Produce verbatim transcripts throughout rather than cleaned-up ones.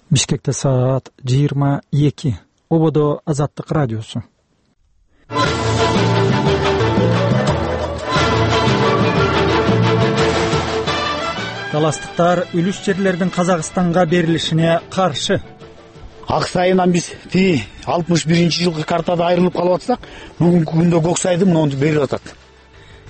Бишкекте саат жыйырма эки. Ободо Азаттык радиосу. Таластыктар үлүш жерлердин Казакстанга берилишине каршы. Ак Сайынан биз тиги алтымыш биринчи жылкы картада айрылып калып атсак, бүгүнкү күндө Көк Сайды муну берип атат.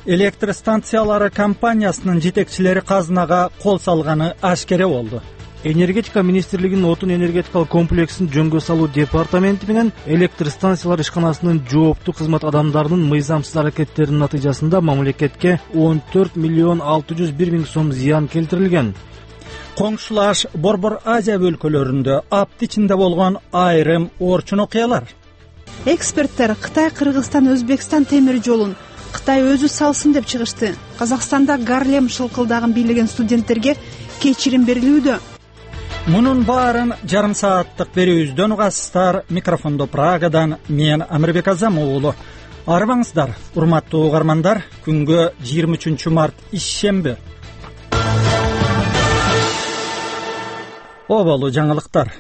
Электр станциялары компаниясынын жетекчилери казынага кол салганы ашкере болду. Энергетика министрлигинин отун энергетикалык комплексин жөнгө салуу департаменти менен электр станциялар ишканасынын жооптуу кызмат адамдарынын мыйзамсыз аракеттеринин натыйжасында мамлекетке он төрт миллион алты жүз бир миң сом зыян келтирилген. Коңшулаш Борбор Азия өлкөлөрүндө апт ичинде болгон айрым орчун окуялар. Эксперттер Кытай, Кыргызстан, Өзбекстан темир жолун Кытай өзү салсын деп чыгышты. Казакстанда Гарлем шылкылдагын бийлеген студенттерге кечирим берилүүдө. Мунун баарын жарым сааттык берүүбүздөн угасыздар. Микрофондо Прагадан мен Амирбек Азам уулу. Арыбаңыздар, урматтуу угармандар. Күнгө жыйырма үчүнчү март ишемби. Оболу жаңылыктар.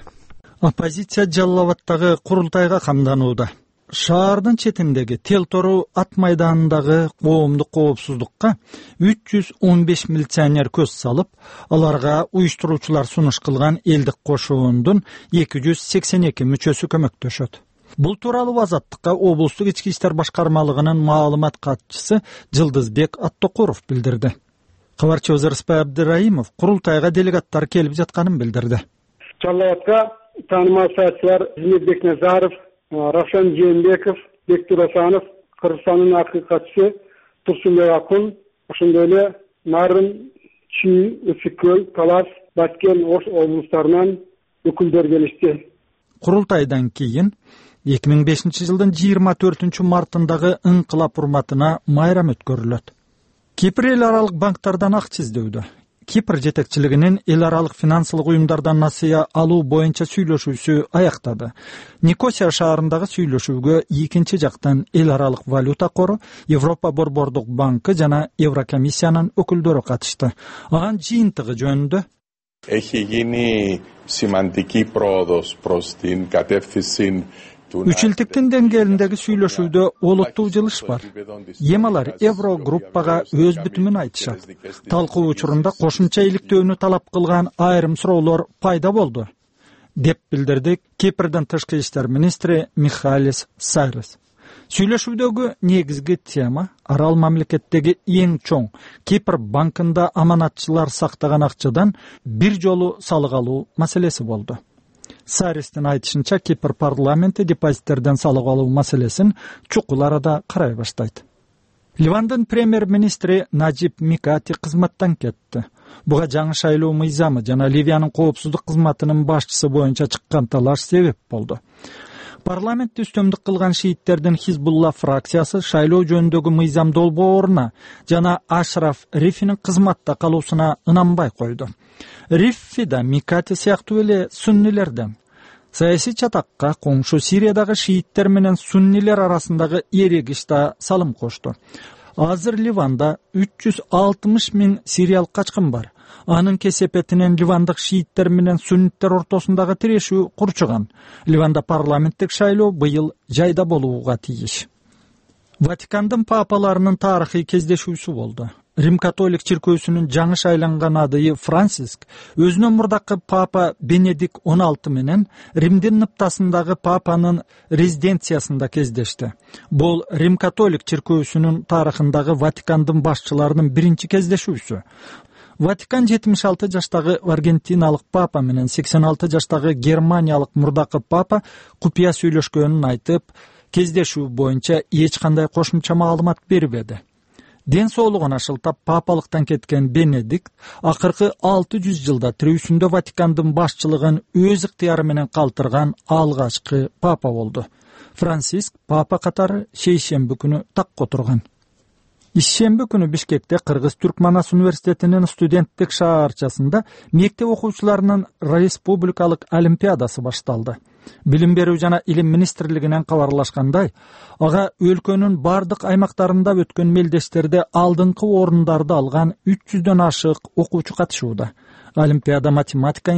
Оппозиция Жалал Абадтагы курултайга камданууда. Шаардын четиндеги Тел Тору ат майданындагы коомдук коопсуздукка үч жүз он беш милиционер көз салып, аларга уюштуруучулар сунуш кылган элдик кошуундун эки жүз сексен эки мүчөсү көмөктөшөт. Бул тууралуу Азаттыкка облустук ички иштер башкармалыгынын маалымат катчысы Жылдызбек Аттокуров билдирди. Кабарчыбыз Рыспай Абдыраимов курултайга делегаттар келип жатканын билдирди. Жалал Абадка таанымал саясатчылар Зиннетбек Назаров, Равшан Жээнбеков, Бектур Асанов, Кыргызстандын акыркы катчысы Турсунбек Акун, ошондой эле Нарын, Чүй, Өсүккөл, Талас, Баткен, Ош облустарынан өкүлдөр келишти. Курултайдан кийин эки миң бешинчи жылдын жыйырма төртүнчү мартындагы ыңкылап урматына майрам өткөрүлөт. Кипр эл аралык банктардан акча издөөдө. Кипр жетекчилигинин эл аралык финансылык уюмдардан насыя алуу боюнча сүйлөшүүсү аяктады. Никосия шаарындагы сүйлөшүүгө экинчи жактан эл аралык валюта кору, Европа борбордук банкы жана Еврокомиссиянын өкүлдөрү катышты. Анын жыйынтыгы жөнүндө Έχει γίνει σημαντική πρόοδος προς την κατεύθυνση. Үчүлтүктүн деңгээлиндеги сүйлөшүүдө олуттуу жылыш бар. Эми алар Евро группага өз бүтүмүн айтышат. Талкуу учурунда кошумча иликтөөнү талап кылган айрым суроолор пайда болду, деп билдирди Кипрдин тышкы иштер министри Михалис Сайрес. Сүйлөшүүдөгү негизги тема арал мамлекеттеги эң чоң Кипр банкында аманатчылар сактаган акчадан бир жолу салык алуу маселеси болду. Сайрестин айтышынча, Кипр парламенти депозиттерден салык алуу маселесин чукул арада карай баштайт. Ливандын премьер-министри Наджиб Микати кызматтан кетти. Буга жаңы шайлоо мыйзамы жана Ливиянын коопсуздук кызматынын башчысы боюнча чыккан талаш себеп болду. Парламентти үстөмдүк кылган шииттердин Хизбулла фракциясы шайлоо жөнүндөгү мыйзам долбооруна жана Ашраф Рифинин кызматта калуусуна ынанбай койду. Риффи да Микати сыяктуу эле суннилерден. Саясий чатакка коңшу Сириядагы шииттер менен суннилер арасындагы эрегиш да салым кошту. Азыр Ливанда үч жүз алтымыш миң сириялык качкын бар. Анын кесепетинен ливандык шииттер менен сунниттер ортосундагы тирешүү курчуган. Ливанда парламенттик шайлоо быйыл жайда болууга тийиш. Ватикандын папаларынын тарыхый кездешүүсү болду. Рим католик чиркөөсүнүн жаңы шайланган адайы Франциск өзүнөн мурдакы папа Бенедикт он алты менен Римдин ныптасындагы папанын резиденциясында кездешти. Бул Рим католик чиркөөсүнүн тарыхындагы Ватикандын башчыларынын биринчи кездешүүсү. Ватикан жетимиш алты жаштагы аргентиналык папа менен сексен алты жаштагы германиялык мурдакы папа купуя сүйлөшкөнүн айтып, кездешүү боюнча эч кандай кошумча маалымат бербеди. Ден соолугуна шылтап папалыктан кеткен Бенедикт акыркы алты жүз жылда тирүүсүндө Ватикандын башчылыгын өз ыктыяры менен калтырган алгачкы папа болду. Франциск папа катары шейшемби күнү такка отурган. Ишемби күнү Бишкекте Кыргыз-Түркманас университетинин студенттик шаарчасында мектеп окуучуларынын республикалык олимпиадасы башталды. Билим берүү жана илим министрлигинен кабарлашкандай, ага өлкөнүн бардык аймактарында өткөн мелдештерде алдыңкы орундарды алган үч жүздөн ашык окуучу катышууда. Олимпиада математика,